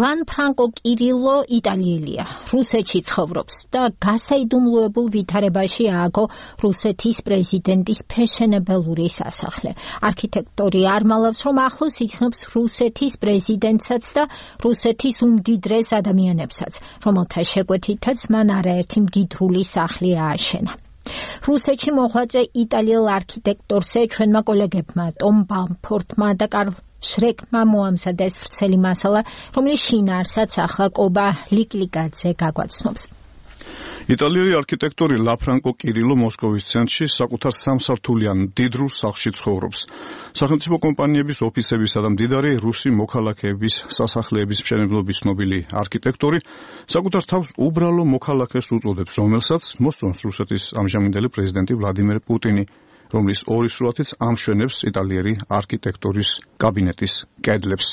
ლანფრანკო კირილო იტალიელია, რუსეთში ცხოვრობს და გასაიდუმლოებულ ვითარებაში ააგო რუსეთის პრეზიდენტის ფეშენებელური სასახლე. არქიტექტორი არმალავს, რომ ახლოს იქნობს რუსეთის პრეზიდენტსაც და რუსეთის უმდიდრეს ადამიანებსაც, რომელთა შეკვეთითაც მან არაერთი მდიდრული სახლი ააშენა. რუსეთში მოღვაწე იტალიელ არქიტექტორზე ჩვენმა კოლეგებმა ტომ ბამფორდმა და კარლ შრეკმა მოამზადეს ვრცელი მასალა, რომლის შინაარსაც ახლა კობა ლიკლიკაძე გაგვაცნობს. იტალიელი არქიტექტორი ლაფრანკო კირილო მოსკოვის ცენტრში საკუთარ სამსართულიან მდიდრულ სახლში ცხოვრობს. სახელმწიფო კომპანიების ოფისებისა და მდიდარი რუსი მოქალაქეების სასახლეების მშენებლობის ცნობილი არქიტექტორი საკუთარ თავს უბრალო მოქალაქეს უწოდებს, რომელსაც მოსწონს რუსეთის ამჟამინდელი პრეზიდენტი ვლადიმერ პუტინი, რომლის ორი სურათიც ამშვენებს იტალიელი არქიტექტორის კაბინეტის კედლებს.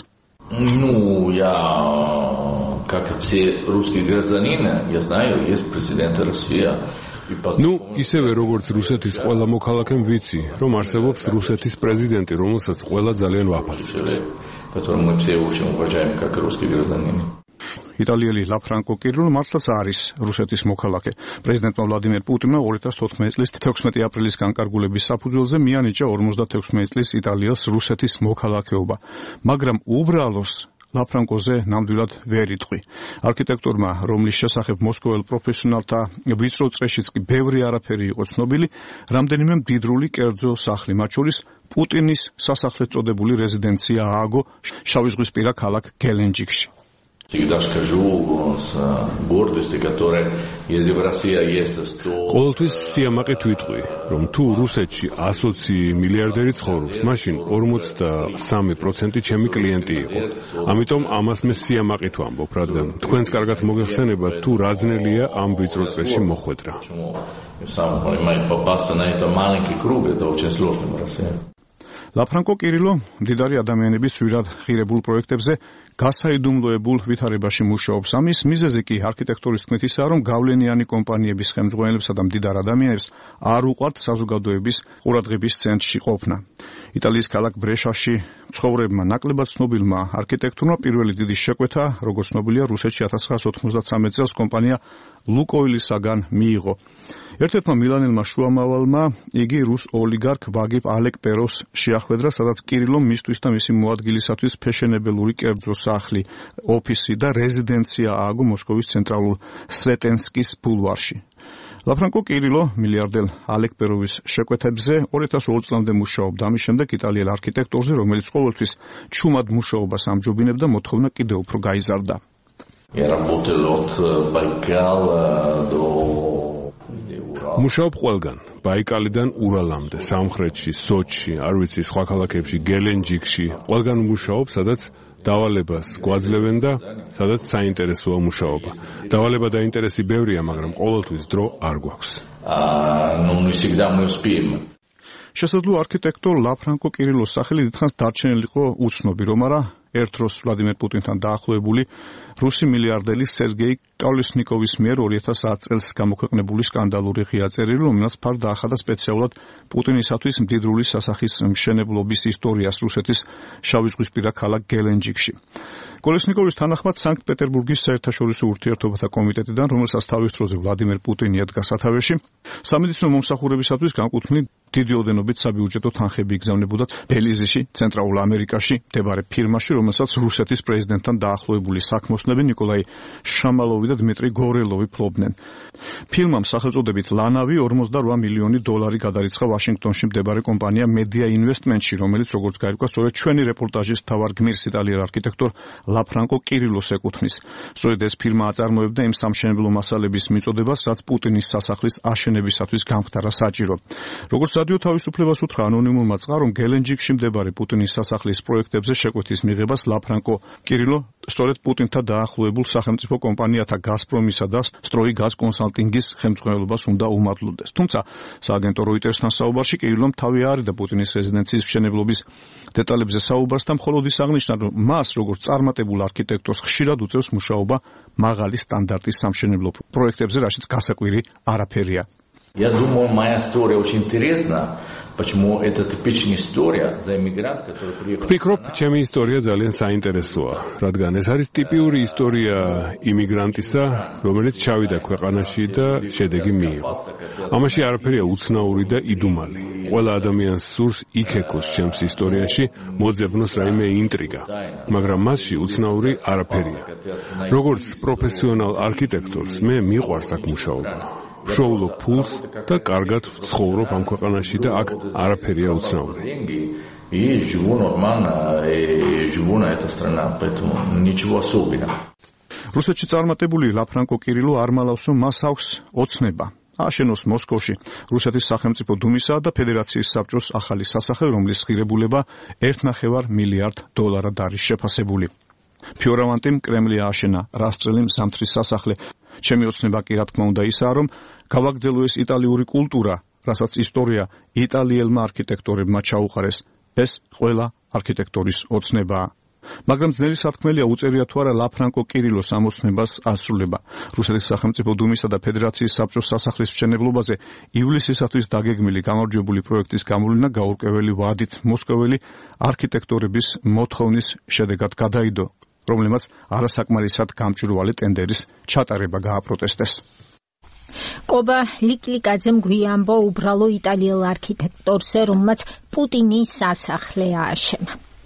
Как все русские гражданины, я знаю, есть президент России. ისევე როგორც რუსეთის ყველა მოქალაქემ ვიცი, რომ არსებობს რუსეთის პრეზიდენტი, რომელსაც ყველა ძალიან ვაფასებთ. Которого мы все очень уважаем, как русские гражданины. იტალიელი ლაფრანკო კირილო მართლაც არის რუსეთის მოქალაქე. პრეზიდენტმა ვლადიმერ პუტინმა 2014 წლის 16 აპრილის განკარგულების საფუძველზე მიანიჭა 56 წლის იტალიელს რუსეთის მოქალაქეობა, მაგრამ უბრალოს ლაფრანკოზე ნამდვილად ვერ იტყვი. არქიტექტორმა, რომლის შესახებ მოსკოველ პროფესიონალთა ვიწრო წრეშიც კი ბევრი არაფერი იყო ცნობილი, რამდენიმე მდიდრული კერძო სახლი, მათ შორის პუტინის სასახლედ წოდებული რეზიდენცია ააგო შავიზღვისპირა ქალაქ გელენჯიკში. Всегда скажу с гордостью, которая если в России есть 100. ყოველთვის სიამაყით ვიტყვი, რომ თუ რუსეთში 120 მილიარდერი ცხოვრობს, მაშინ 43% ჩემი კლიენტი იყო. ამიტომ ამას მე სიამაყით ვამბობ, რადგან თქვენს კარგად მოგეხსენება თუ რა ძნელია ამ ვიწრო წრეში მოხვედრა. Сам понимаю, попасть на этот маленький круг это очень сложно в России. ლაფრანკო კირილო მდიდარი ადამიანების ძვირად ღირებულ პროექტებზე გასაიდუმლოებულ ვითარებაში მუშაობს. ამის მიზეზი კი არქიტექტორის თქმით ისაა, რომ გავლენიანი კომპანიების ხელმძღვანელებსა და მდიდარ ადამიანებს არ უყვართ საზოგადოების ყურადღების ცენტრში ყოფნა. იტალიის ქალაქ ბრეშაში მცხოვრებმა ნაკლებად ცნობილმა არქიტექტორმა პირველი დიდი შეკვეთა, როგორც ცნობილია, რუსეთში 1993 წელს კომპანია ლუკოილისაგან მიიღო. ერთ-ერთმა მილანელმა შუამავალმა იგი რუს ოლიგარქ ვაგიფ ალეკპეროს შეახვედრა, სადაც კირილომ მისთვის და მისი მოადგილისათვის ფეშენებელური კერძო სახლი, ოფისი და რეზიდენცია ააგო მოსკოვის ცენტრალურ სრეტენსკის ბულვარში. ლაფრანკო კირილო მილიარდელ ალეკპეროვის შეკვეთებზე 2002 წლამდე მუშაობდა. ამის შემდეგ იტალიელ არქიტექტორზე, რომელიც ყოველთვის ჩუმად მუშაობას ამჯობინებდა, მოთხოვნა კიდევ უფრო გაიზარდა. Я работал от Байкала до მუშაობ ყველგან, ბაიკალიდან ურალამდე, სამხრეთში, სოჩში, არ ვიცი, სხვა ქალაქებში, გელენჯიკში, ყველგან მუშაობ, სადაც დავალებას გვაძლევენ და სადაც საინტერესოა მუშაობა. დავალება და ინტერესი ბევრია, მაგრამ ყოველთვის დრო არ გვაქვს. не всегда мы успеем. შესაძლოა არქიტექტორ ლაფრანკო კირილოს სახელი დიდხანს დარჩენილიყო უცნობი, რომ არა ერთ დროს ვლადიმერ პუტინთან დაახლოებული რუსი მილიარდელი სერგეი კოლესნიკოვის მიერ 2010 წელს გამოქვეყნებული სკანდალური ღია წერილი, რომელსაც ფარ დაახადა სპეციალურად პუტინისათვის მდიდრული სასახლის მშენებლობის ისტორიას რუსეთის შავიზღვისპირა ქალაქ გელენჯიკში. კოლესნიკოვის თანახმად სანქტ-პეტერბურგის საერთაშორისო ურთიერთობათა კომიტეტიდან, რომელსაც თავის დროზე ვლადიმერ პუტინი ედგა სათავეში, სამედიცინო მომსახურებისათვის განკუთვნილი დიდი ოდენობით საბიუჯეტო თანხები იგზავნებოდა ბელიზიში, ცენტრალურ ამერიკაში მდებარე ფირმაში, რომელსაც რუსეთის პრეზიდენტთან დაახლოებული საქმოსნები ნიკოლაი შამალოვი და დმიტრი გორელოვი ფლობდნენ. ფილმამ სახელწოდებით ლანავი 48 მილიონი დოლარი გადარიცხა ვაშინგტონში მდებარე კომპანია მედია ინვესტმენტში, რომელიც როგორც გაირკვა, სწორედ ჩვენი რეპორტაჟის მთავარ გმირს იტალიელ არქიტექტორ ლაფრანკო კირილოს ეკუთვნის. სწორედ ეს ფილმა აწარმოებდა იმ სამშენებლო მასალების მიწოდებას, რაც პუტინის სასახლის აშენებისათვის გამხდარა საჭირო. როგორც სადიო თავისუფლებას უთხრა ანონიმურმა წყარომ, გელენჯიკში მდებარე პუტინის სასახლის პროექტებზე შეკვეთის მიღებას ლაფრანკო კირილო სწორედ პუტინთან დაახლოებულ სახელმწიფო კომპანიათა გაზპრომისა და სტროიგაზ კონსალტინგის ხელმძღვანელობას უნდა უმადლოდეს. თუმცა სააგენტო როიტერსთან საუბარში კირილომ თავი არიდა პუტინის რეზიდენციის მშენებლობის დეტალებზე საუბარს და მხოლოდ ის აღნიშნა, რომ მას როგორც წარმატებულ არქიტექტორს ხშირად უწევს მუშაობა მაღალი სტანდარტის სამშენებლო პროექტებზე, რაშიც გასაკვირი არაფერია. Я думаю, моя история очень интересна. Почему это типичная история за иммигрант, который приехал. Вფიქრობ, ჩემი ისტორია ძალიან საინტერესოა, რადგან ეს არის ტიპიური ისტორია იმიგრანტისა, რომელიც ჩავიდა ქვეყანაში და შედეგი მიიღო. ამაში არაფერია უცნაური და იდუმალი. ყველა ადამიანს სურს იქეკოს ჩემს ისტორიაში, მოძებნოს რაიმე ინტრიგა, მაგრამ მასში უცნაური არაფერია. როგორც პროფესიონალ არქიტექტორს, მე მიყვარს აქ მუშაობა. ვშოულობ ფულს და კარგად ვცხოვრობ ამ ქვეყანაში და აქ არაფერია უცნაური. И живу нормально, и живу на этой стране, поэтому ничего особенного. რუსეთში წარმატებული ლაფრანკო კირილო არ მალავს, რომ მას აქვს ოცნება. აშენოს მოსკოვში რუსეთის სახელმწიფო დუმისა და ფედერაციის საბჭოს ახალი სასახლე, რომლის ღირებულება $1.5 მილიარდ არის შეფასებული. ფიორავანტიმ კრემლი ააშენა რასწრელი მზამთრის სასახლე. ჩემი ოცნება კი რა თქმა უნდა ისაა, რომ გავაგრძელო ეს იტალიური კულტურა, რასაც ისტორია იტალიელმა არქიტექტორებმა ჩაუყარეს. ეს ყველა არქიტექტორის ოცნებაა. მაგრამ ძნელი სათქმელია უწერია თუ არა ლაფრანკო კირილოს ამოცნებას ასრულება. რუსეთის სახელმწიფო დუმისა და ფედერაციის საბჭოს სასახლის მშენებლობაზე ივლისისათვის დაგეგმილი გამარჯვებული პროექტის გამოვლენა გაურკვეველი ვადით მოსკოველი არქიტექტორების მოთხოვნის შედეგად გადაიდო, რომლემაც არასაკმარისად გამჭვირვალე ტენდერის ჩატარება გააპროტესტეს. კობა ლიკლიკაძემ გვიამბო უბრალო იტალიელ არქიტექტორზე, რომელმაც პუტინის სასახლე ააშენა.